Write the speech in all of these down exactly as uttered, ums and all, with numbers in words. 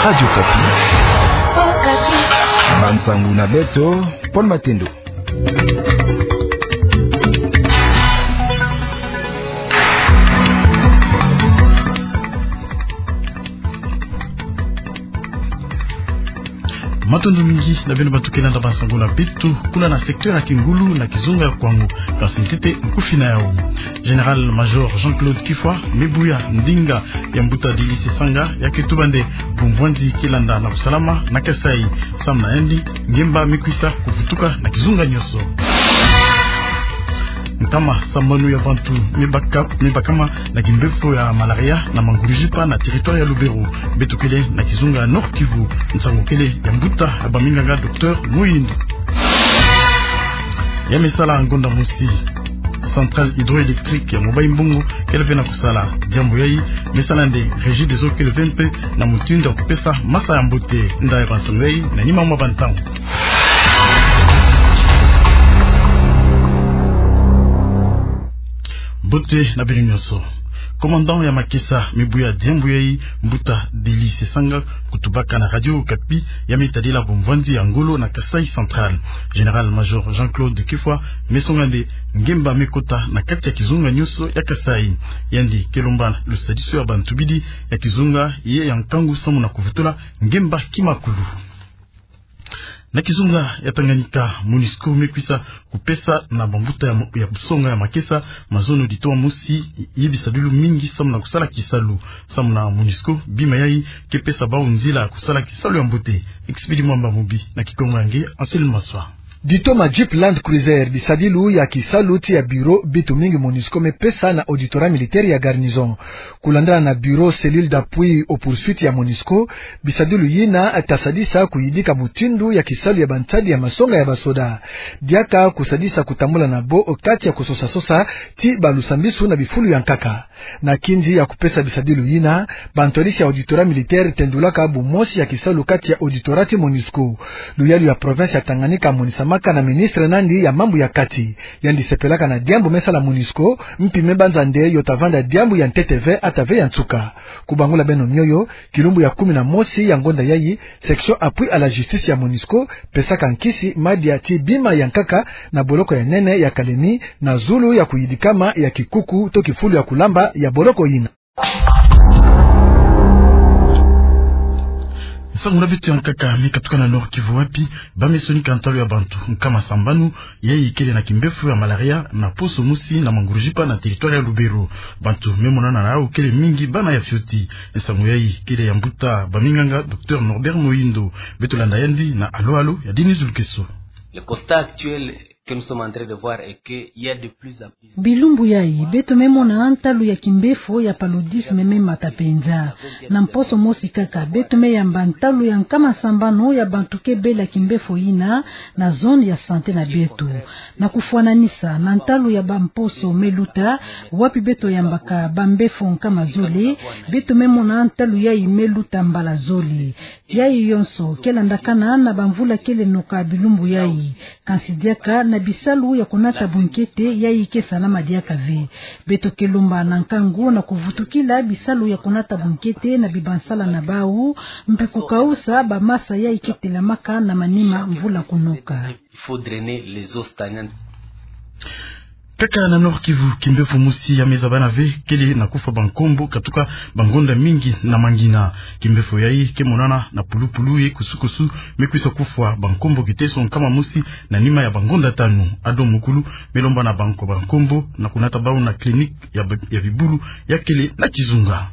Radio Okapi. Bansangu na beto, Paul Matendo. Matondo mingi na beno bantu ke landa bansangu na beto kuna na secteur ya Kingulu na kizunga ya Kwango. Kansi ntete nkufi na yau. Général-major Jean-Claude Kifwa me buya ndinga ya mbuta Delly Sesanga ya ke tuba nde bumvwanzi ke landa na kusalama na Kasaï. Samu na yandi, ngemba me kwisa kuvutuka na kizunga nyonso. Nkama sambanu ya bantu me baka-, me bakama na kimbefo ya malaria na Mangurujipa na territoire ya Lubero. Beto kele na kizunga ya Nord-Kivu, nsangu kele ya mbuta ya baminganga, docteur Muhindo. Ya me sala ngonda mosi, centrale hydroélectrique ya Mobayi-Mbongo kele ve na kusala. Diambu yai me sala nde Regideso kele ve mpe na mutindu ya kupesa masa ya mbote. Nda ya bansangu yai na nima mwa bantangu. Mbote na beno nyonso. Commandant ya makesa me buya diambu yai, mbuta Delly Sesanga, kutubaka na Radio Okapi, ya me tadila bumvwanzi ya ngolo na Kasaï Central. Général-major Jean-Claude Kifwa me songa nde ngemba me kota na kati ya kizunga nyonso ya Kasaï. Yandi ke lomba lusadisu ya bantubidi ya kizunga ye ya nkangu samu na kuvutula ngemba kimakulu. Na kizunga ya Tanganyika, MONUSCO me kwisa kupesa na bambuta ya mo-, ya kusonga ya makesa mazono ditoma mosi ye bisadilu mingi samu na kusala kisalu. Samu na MONUSCO, bima yai ke pesa bau nzila ya kusala kisalu ya mbote. Expédit Mwamba Mubi na Kikongo ya nge, Anselme Maswa. Ditoma jeep Land Cruiser, bisadilu ya kisalu ti ya bureau bitu mingi MONUSCO me pesa na auditorat militaire ya garnison. Kulandala na bureau cellule d'appui aux poursuites ya MONUSCO, bisadilu yina ta sadisa kuyidika mutindu ya kisalu ya bansadi ya masonga ya basoda. Diaka kusadisa kutambula na bo kati ya kusosa-sosa ti balusambisu na bifulu ya nkaka. Na kindi ya kupesa bisadilu yina, bantwadisi ya auditorat militaire tendulaka bumosi ya kisalu kati ya auditorat ti MONUSCO. Luyalu ya province ya Tanganyika monisamaka na ministre nandi ya mambu ya kati. Yandi sepelaka na diambu me sala MONUSCO, mpi me banza nde yo ta vanda diambu ya ntete ve ata ve ya nsuka. Kubangula beno mioyo, kilumbu ya kumi na mosi ya ngonda yai, section appui à la justice ya MONUSCO pesaka nkisi madia ti bima ya nkaka na boloko ya nene ya Kalemi, na zulu ya kuyidikama ya kikuku to kifulu ya kulamba ya boloko yina. Nsangu na beto ya nkaka me katuka na Nord-Kivu, wapi ba me sonika ntalu ya bantu nkama sambanu yai kele na kimbefo ya malaria na poso mosi na Mangurujipa na territoire ya Lubero. Bantu me monana na yau kele mingi bana ya fioti. Nsangu yai kele ya mbuta baminganga, docteur Norbert Muhindo. Beto landa yandi na alo-alo ya Denis Lukeso. Le constat actuel que nous sommes en train de voir est que il y a de plus en plus. Bilumbu yai, beto me mona ntalu ya kimbefo ya paludisme me mata penza. Na mposo mosi kaka, beto me yamba ntalu ya nkama sambanu ya bantu ke bela kimbefo yina na zone ya santé na beto. Na kufwananisa na ntalu ya bamposo me luta, wapi beto yambaka bambefo nkama zole, beto me mona ntalu yai me luta mbala zole. Yai yonso ke landakana na bamvula kele noka bilumbu yai. Kansi diaka na bisalu ya kunata bunkete yai ke salama diaka ve. Beto ke lomba na nkangu na kuvutukila bisalu ya kunata bunkete na bibansala na bau, mpi kukausa bamasa yai ke telamaka na manima mvula kunoka. Il faut drainer les eaux stagnantes. Kaka na Nord-Kivu, kimbefo mosi ya me zabana ve kele na kufwa bankombo katuka bangonda mingi na Mangina. Kimbefo yai ke monana na pulupulu ye kusukusu, me kwisa kufwa bankombo kiteso nkama mosi na nima ya bangonda tanu. Ado Mukulu me lomba na banko bankombo na kunata bau na clinique ya bi-, ya bibulu ya kele na kizunga.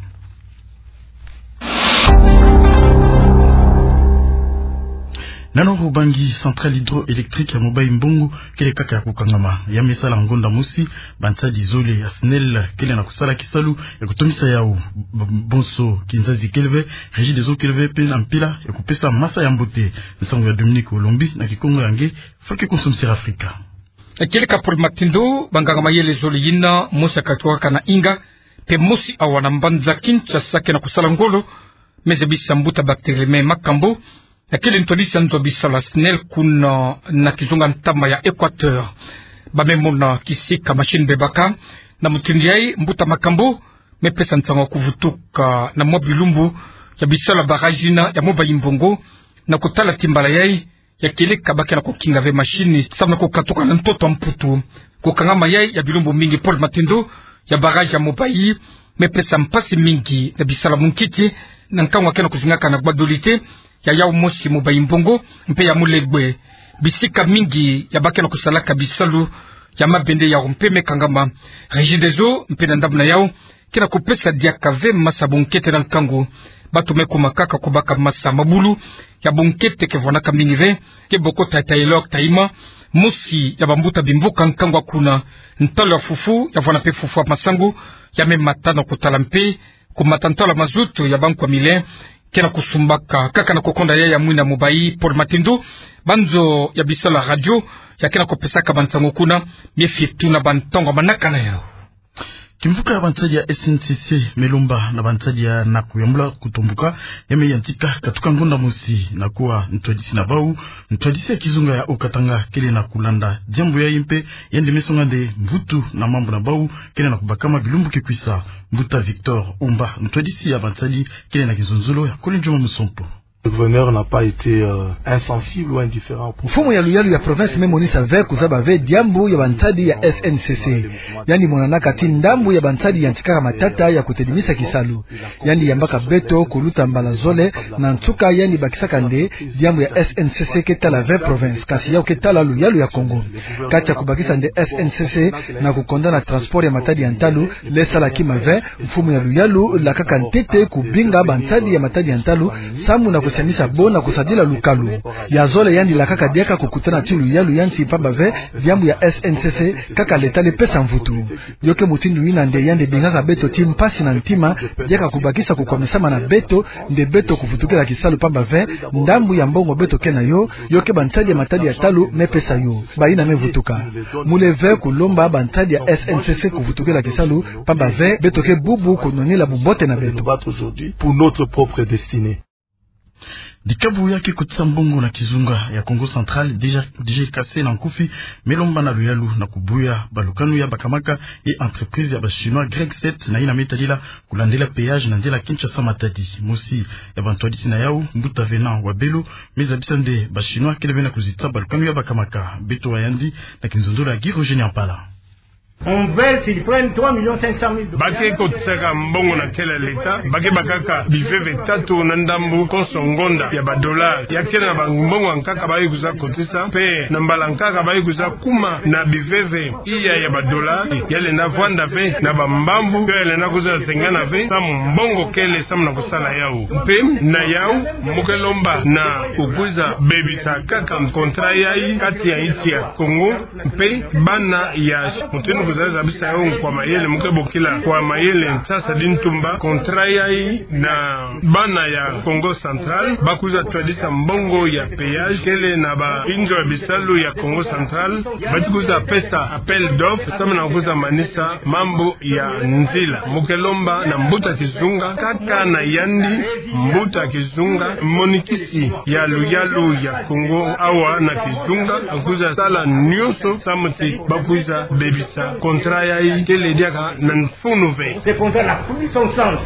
Na Nord-Ubangi, centrale hydroélectrique ya Mobayi-Mbongo kele kaka ya kukangama. Ya me sala ngonda mosi, bansadi zole ya SNEL kele na kusala kisalu ya kutomisa yau. B-, bonso kinzazi kele ve, Regideso kele ve mpe na mpila ya kupesa masa ya mbote. Nsangu ya Dominique Olombi na Kikongo ya nge, Fake Konsum Sir Africa. Kele ka Paul Matendo, banganga mayele zole yina, mosi ya katuka na Inga, mpe mosi awa na mbanza Kinshasa ke na kusala ngolo, me zabisa mbuta Barthélemy Makambo, na kele ntwadisi ya nzo ya bisalu ya SNEL kuna na kizunga ntama ya Équateur. Ba me mona kisika machine bebaka, na mutindu yai mbuta Makambo me pesa nsangu ya kuvutuka na mwa bilumbu ya bisalu ya barrage yina ya Mobayi-Mbongo, na kutala ti mbala yayi, ya kieleka ba ke na kukinga ve machine samu na kukatuka na ntoto ya Mputu. Kukangama yayi ya bilumbu mingi pole matindu, ya barrage ya Mobayi me pesa mpasi mingi na bisalu ya munkiki, na nkangu ya ke na kuzingaka na gbadolite ya yawu mosi Mobayi-Mbongo mpe ya Molegbé. Bisika mingi ya ba ke na kusalaka bisalu ya mabende yawu mpe me kangama. Regideso mpe na ndambu na yawu ke na kupesa diaka ve masa bunkete na nkangu. Bantu me kuma kaka kubaka masa mabulu ya bunkete ke vwanaka mingi ve, ke boko Tata Elok Taima, mosi ya bambuta bimvuka nkangu ya kuna. Ntalu ya fufu ya vwana mpe fufu ya masangu ya me mata na kutala mpe kumata ntalu ya mazutu ya banku ya mile ke na kusumbaka kaka na kukonda yayi ya mwina Mobayi pole matindu. Banzo ya bisalu ya radio ya ke na kupesaka bansangu kuna me fie tuna ba ntangu ya manaka na yawu. Kimvuka ya bansadi ya S N C C me lomba na bansadi ya na kuyambula kutombuka, ya me yantika katuka ngonda mosi na kuwa ntwadisi na bawu, ntwadisi ya kizunga ya Haut-Katanga kele na kulanda diambu yayi mpe yandi me songa nde mvutu na mambu na bawu kele na kubakama bilumbu ke kwisa. Mbuta Victor Umba, ntwadisi ya bansadi, kele na kizonzolo ya Kole Ndjuma Musompo. Le gouverneur n'a pas été, euh, insensible ou indifférent au problème. Mfumu ya luyalu ya province me monisa ve kuzaba ve diambu ya bansadi ya S N C C. Yandi monanaka ti ndambu ya bansadi yantikaka matata ya kutedimisa kisalu. Yandi yambaka beto kuluta mbala zole, na nsuka yandi bakisaka nde diambu ya S N C C ke tala ve province, kasi yawu ke tala luyalu ya Kongo. Kati ya kubakisa nde S N C C na kukonda na transport ya matadi ya ntalu, le sala kima ve, mfumu ya luyalu lakaka ntete kubinga bansadi ya matadi ya ntalu samu na kusiamisa bo na kusadila lukalu. Ya zole yandi lakaka diaka kukutana ti luyalu ya nsi mpamba ve diambu ya S N C C kaka l'État le pesa mvutu. Yo ke mutindu yina nde yandi bingaka beto ti mpasi na ntima, diaka kubakisa kukwamisama na beto, nde beto kuvutukila kisalu mpamba ve ndambu ya mbongo beto ke na yo, yo ke bansadi ya matadi ya ntalu me pesa yo. Bayina me vutuka. Mule ve kulomba bansadi ya S N C C kuvutukila kisalu mpamba ve beto ke bubu kunwanina bumbote na beto. Pour notre propre destinée. Dikabu ya ke kotisa mbongo na kizunga ya Kongo Central, D G, D G K C na nkufi, me lomba na luyalu na kubuya balukanu ya bakamaka ye entreprise ya ba Chinois Greg Sept na yina me tadila kulandila péage na nzila Kinshasa-Matadi. Mosi ya bantwadisi na yawu, mbuta Venant Wabelo, me zabisa nde ba Chinois kele ve na kuzitisa balukanu ya bakamaka. Beto wa yandi na kinzonzolo ya Guy Roger Nyampala. On veut, ils prennent trois millions cinq cent mille dollars. Ba ke kotisaka mbongo na kele l'État, ba ke bakaka biveve tatu na ndambu konso ngonda ya ba dollars. Ya kele na bambongo ya nkaka ba ke kwiza kotisa, mpe na mbala nkaka ba ke kwiza kuma na biveve iya ya ba dollars, ya lenda vwanda ve na bambamvu, mpe ya lenda kwiza zengana ve, samu mbongo kele samu na kusala yawu. Mpe na yawu, mu ke lomba na kukwiza bebisa kaka contrat yayi kati ya insi ya Kongo mpe bana ya Chine. Mutindu kwiza zabisa yawu nkwa mayele, mu ke bokila nkwa mayele nsasa di ntumba contrat yayi na bana ya Kongo Central, ba kwiza twadisa mbongo ya péage kele na bainzo ya bisalu ya Kongo Central, ba ti kwiza pesa appel d'offre, samu na kwiza manisa mambu ya nzila. Mu ke lomba na mbuta kizunga, kaka na yandi mbuta kizunga, monikisi ya luyalu ya Kongo awa na kizunga, akwiza sala nyonso samu ti ba kwiza bebisa contrat yayi, kele diaka na mfunu ve. Ce contrat n'a plus son sens.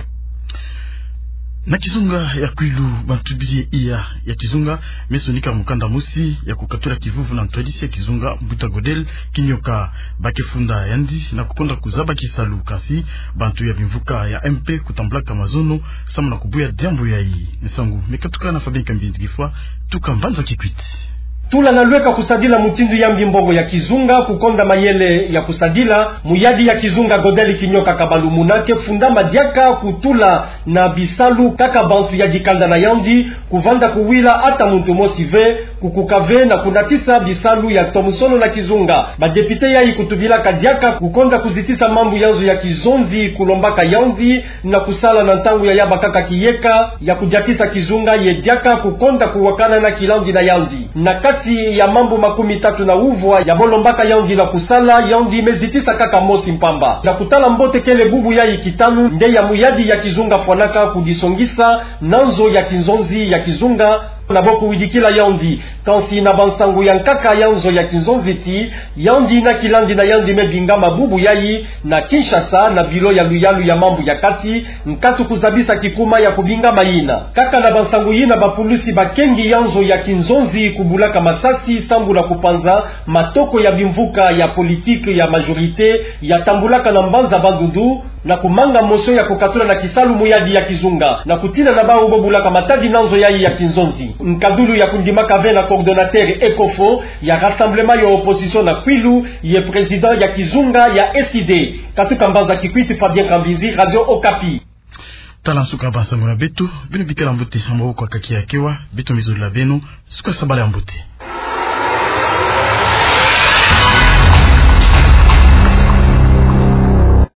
Na kizunga ya Kwilu, bantu bidi iya ya kizunga me sonika mukanda mosi ya kukatula kivuvu na ntwadisi ya kizunga, mbuta Godel Kinyoka. Ba ke funda yandi na kukonda kuzaba kisalu, kasi bantu ya bimvuka ya M P kutambulaka mazono samu na kubuya diambu yayi. Nsangu me katuka na Fabien Kambindi Kifwa, tuka mbanza Kikwit. Tula na lweka kusadila mutindu ya mbi mbongo ya kizunga, kukonda mayele ya kusadila, muyadi ya kizunga Godel Kinyoka Kabalumuna ke fundama diaka kutula na bisalu kaka bantu ya dikanda na yandi, kuvanda kuwila ata muntu mosi ve, kukuka ve na kunatisa bisalu ya ntomosono na kizunga. Ba député yayi kutubilaka diaka kukonda kuzitisa mambu ya nzo ya kizonzi kulombaka yandi na kusala na ntangu ya ya bakaka kiyeka ya kudiatisa kizunga ye diaka kukonda kuwakana na kilandi na yandi. Na kati ya mambu makumi tatu na uvwa ya bo lombaka yandi na kusala, yandi me zitisa kaka mosi mpamba. Na kutala mbote kele bubu yayi kitanu nde ya muyadi ya kizunga fwanaka kudisongisa na nzo ya kinzonzi ya kizunga. Na bo kuwidikila yandi, kansi na bansangu ya nkaka ya nzo ya kinzonzi ti, yandi yina kilandi na yandi me bingama bubu yayi na Kinshasa, na biro ya luyalu ya mambu ya kati, nkatu kuzabisa kikuma ya kubingama yina. Kaka na bansangu yina, bapulusi bakengi ya nzo ya kinzonzi kubulaka masasi sambula kupanza matoko ya bimvuka ya politiki ya majorité ya tambulaka na mbanza Bandundu, na kumanga motion ya kukatula na kisalu muyadi ya kizunga, na kutina na bawu bo bulaka matadi na nzo yayi ya kinzonzi. Nkadulu ya kundimaka ve na coordonnateur Ecofo ya rassemblement ya opposition na Kwilu, ye président ya kizunga ya SID. Katuka mbanza Kikwit, Fabien Kambinzi, Radio Okapi. Tala nsuka bansangu na beto, beno bikala mbote, ha maboko ya kaki ya kewa, beto me zolila beno nsuka sabala ya mbote.